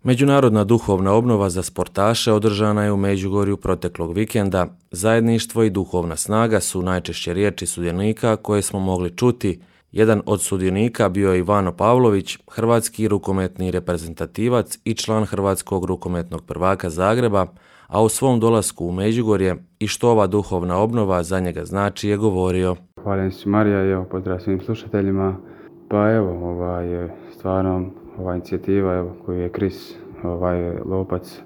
Međunarodna duhovna obnova za sportaše održana je u Međugorju proteklog vikenda. Zajedništvo i duhovna snaga su najčešće riječi sudionika koje smo mogli čuti. Jedan od sudionika bio je Ivano Pavlović, hrvatski rukometni reprezentativac i član Hrvatskog rukometnog prvaka Zagreba, a o svom dolasku u Međugorje i što ova duhovna obnova za njega znači je govorio. Hvala se Marija i pozdrav svim slušateljima. Pa stvarno ova inicijativa koju je Kris Lopac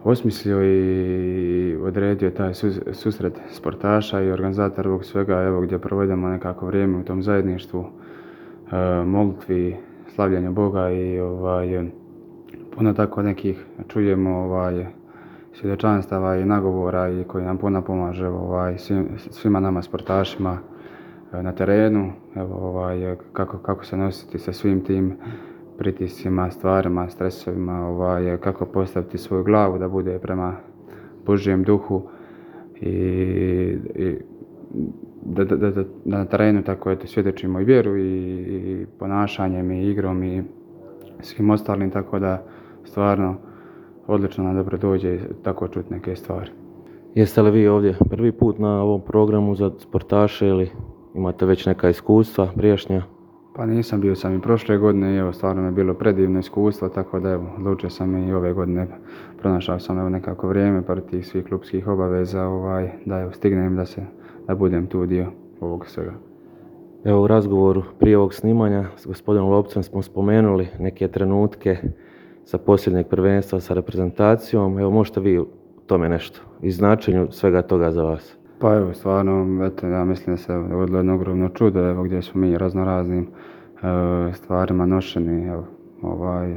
osmislio i odredio taj susret sportaša i organizator ovog svega, gdje provedemo nekako vrijeme u tom zajedništvu, molitvi, slavljanju Boga i puno tako nekih čujemo svjedočanstava i nagovora i koji nam puno pomaže svima nama sportašima na terenu, kako se nositi sa svim tim pritiscima, stvarima, stresovima, kako postaviti svoju glavu da bude prema Božjem duhu i da na terenu tako svjedočimo i vjeru i ponašanjem i igrom i svim ostalim, tako da stvarno odlično nam dobro dođe tako čuti neke stvari. Jeste li vi ovdje prvi put na ovom programu za sportaše ili imate već neka iskustva prijašnja? Pa nisam, bio sam i prošle godine i stvarno mi je bilo predivno iskustvo, tako da odlučio sam i ove godine, pronašao sam nekako vrijeme par tih svih klubskih obaveza da stignem da budem tu dio ovog svega. U razgovoru prije ovog snimanja s gospodinom Lopcem smo spomenuli neke trenutke sa posljednjeg prvenstva sa reprezentacijom. Možete vi o tome nešto i značenju svega toga za vas? Pa stvarno, ja mislim da se dogodilo jedno ogromno čudo, gdje smo mi raznoraznim stvarima nošeni.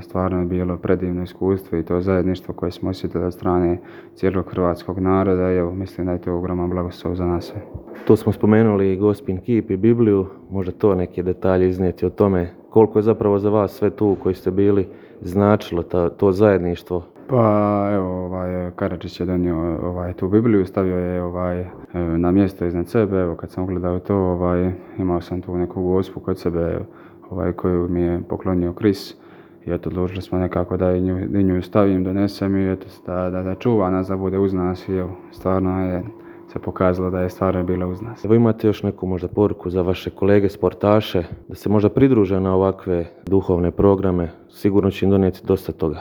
Stvarno je bilo predivno iskustvo i to zajedništvo koje smo osjetili od strane cijelog hrvatskog naroda. Mislim da je to ogroman blagoslov za nas sve. Tu smo spomenuli Gospin kip i Bibliju, možda to neke detalje iznijeti o tome koliko je zapravo za vas sve tu koji ste bili značilo to zajedništvo. Pa Karadžić je donio tu Bibliju, stavio je na mjesto iznad sebe. Kad sam ugledao to, imao sam tu neku gospu kod sebe koju mi je poklonio Kris. I odlučili smo nekako da i nju stavim, donesem i da čuva nas, da bude uz nas. I stvarno je se pokazalo da je stvarno bila uz nas. Imate još neku možda poruku za vaše kolege sportaše da se možda pridruže na ovakve duhovne programe? Sigurno će im donijeti dosta toga.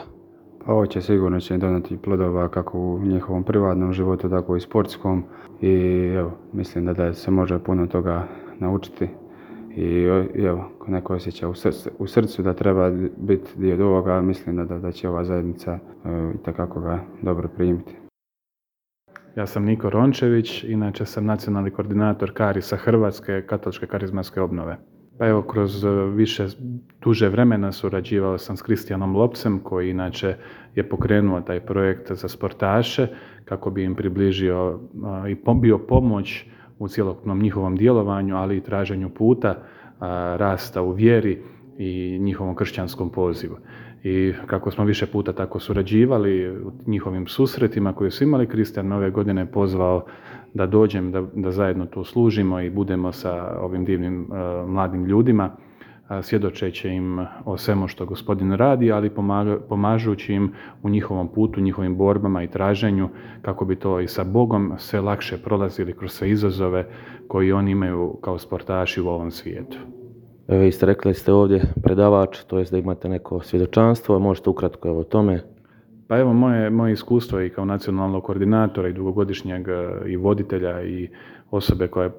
Ovo će sigurno donijeti plodova kako u njihovom privatnom životu, tako i sportskom. I mislim da se može puno toga naučiti. I ko neko osjeća u srcu da treba biti dio ovoga, mislim da će ova zajednica itekako ga dobro primiti. Ja sam Niko Rončević, inače sam nacionalni koordinator Karisa Hrvatske katoličke karizmatske obnove. Pa kroz duže vremena surađivao sam s Kristijanom Lopcem, koji inače je pokrenuo taj projekt za sportaše kako bi im približio i bio pomoć u cjelokupnom njihovom djelovanju, ali i traženju puta, rasta u vjeri i njihovom kršćanskom pozivu. I kako smo više puta tako surađivali u njihovim susretima koje su imali, Kristijan ove godine pozvao da dođem, da zajedno tu služimo i budemo sa ovim divnim mladim ljudima, svjedočeći im o svemu što Gospodin radi, ali pomažući im u njihovom putu, njihovim borbama i traženju, kako bi to i sa Bogom sve lakše prolazili kroz sve izazove koji oni imaju kao sportaši u ovom svijetu. Vi ste rekli ste ovdje predavač, to jest da imate neko svjedočanstvo, možete ukratko o tome? Pa moje iskustvo i kao nacionalnog koordinatora i dugogodišnjeg i voditelja i osobe koja je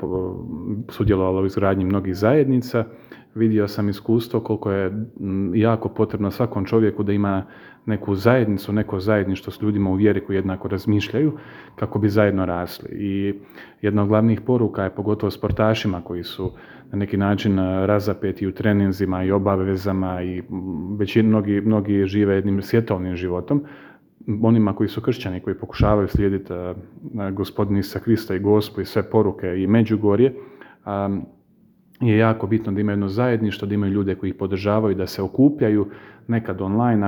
sudjelovala u izgradnji mnogih zajednica, vidio sam iskustvo koliko je jako potrebno svakom čovjeku da ima neku zajednicu, neko zajedništvo s ljudima u vjeri koji jednako razmišljaju kako bi zajedno rasli. I jedna od glavnih poruka je pogotovo sportašima koji su na neki način razapeti u treninzima i obavezama i već mnogi žive jednim svjetovnim životom. Onima koji su kršćani, koji pokušavaju slijediti Gospodina Isusa Krista i Gospu i sve poruke i Međugorje, je jako bitno da imaju jedno zajedništvo, da imaju ljude koji ih podržavaju, da se okupljaju nekad online,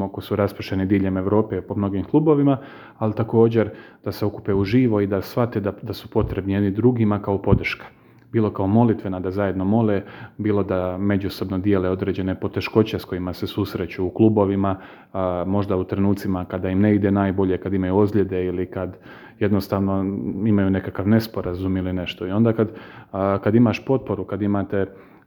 ako su raspršeni diljem Europe po mnogim klubovima, ali također da se okupe uživo i da shvate da su potrebni jedni drugima kao podrška. bilo kao molitvena da zajedno mole, bilo da međusobno dijele određene poteškoće s kojima se susreću u klubovima, možda u trenucima kada im ne ide najbolje, kad imaju ozljede ili kad jednostavno imaju nekakav nesporazum ili nešto. I onda kad imaš potporu, kad imate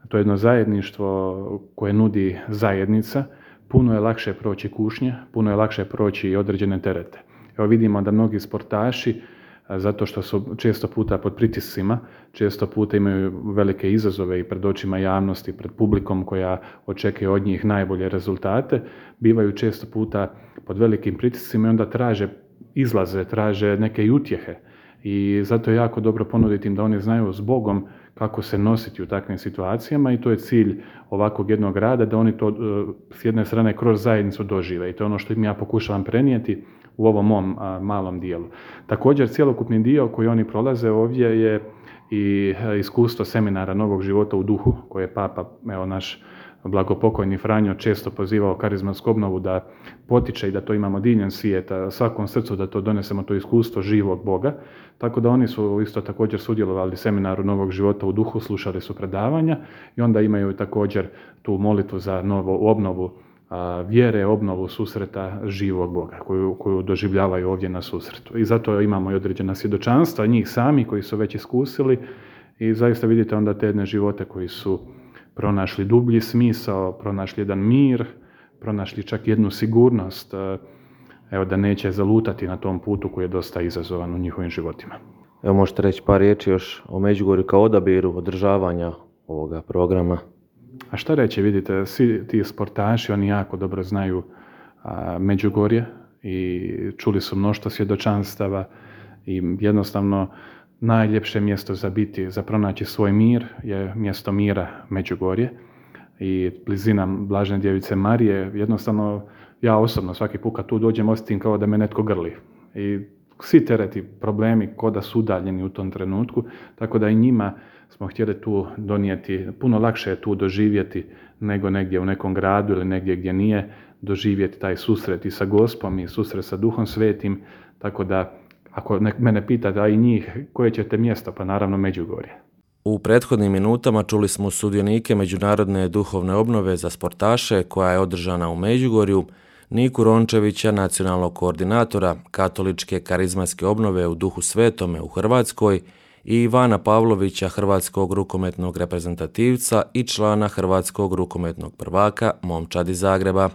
to jedno zajedništvo koje nudi zajednica, puno je lakše proći kušnje, puno je lakše proći i određene terete. Evo vidimo da mnogi sportaši, zato što su često puta pod pritiscima, često puta imaju velike izazove i pred očima javnosti, pred publikom koja očekuje od njih najbolje rezultate, bivaju često puta pod velikim pritiscima i onda traže izlaze, traže neke utjehe. I zato je jako dobro ponuditi im da oni znaju s Bogom kako se nositi u takvim situacijama i to je cilj ovakvog jednog rada, da oni to s jedne strane kroz zajednicu dožive i to je ono što im ja pokušavam prenijeti u ovom mom malom dijelu. Također, cjelokupni dio koji oni prolaze ovdje je i iskustvo seminara Novog života u duhu, koje je Papa, naš blagopokojni Franjo, često pozivao karizmatsku obnovu da potiče i da to imamo diljem svijeta, svakom srcu da to donesemo, to iskustvo živog Boga. Tako da oni su isto također sudjelovali seminaru Novog života u duhu, slušali su predavanja i onda imaju također tu molitvu za novu obnovu vjere, obnovu susreta živog Boga koju doživljavaju ovdje na susretu. I zato imamo i određena svjedočanstva njih sami koji su već iskusili i zaista vidite onda te jedne živote koji su pronašli dublji smisao, pronašli jedan mir, pronašli čak jednu sigurnost, da neće zalutati na tom putu koji je dosta izazovan u njihovim životima. Evo možete reći par riječi još o Međugorju kao odabiru održavanja ovoga programa. A šta reći, vidite, svi ti sportaši, oni jako dobro znaju Međugorje i čuli su mnoštvo svjedočanstava i jednostavno najljepše mjesto za pronaći svoj mir je mjesto mira Međugorje i blizina Blažene djevice Marije. Jednostavno, ja osobno svaki put kad tu dođem osjetim kao da me netko grli. I svi tereti, problemi ko da su udaljeni u tom trenutku, tako da i njima smo htjeli tu donijeti, puno lakše je tu doživjeti nego negdje u nekom gradu ili negdje gdje nije, doživjeti taj susret i sa Gospom i susret sa Duhom Svetim, tako da ako mene pitate, a i njih, koje ćete mjesto, pa naravno Međugorje. U prethodnim minutama čuli smo sudionike Međunarodne duhovne obnove za sportaše koja je održana u Međugorju, Niku Rončevića, nacionalnog koordinatora Katoličke karizmatske obnove u Duhu Svetome u Hrvatskoj i Ivana Pavlovića, hrvatskog rukometnog reprezentativca i člana hrvatskog rukometnog prvaka Momčad iz Zagreba.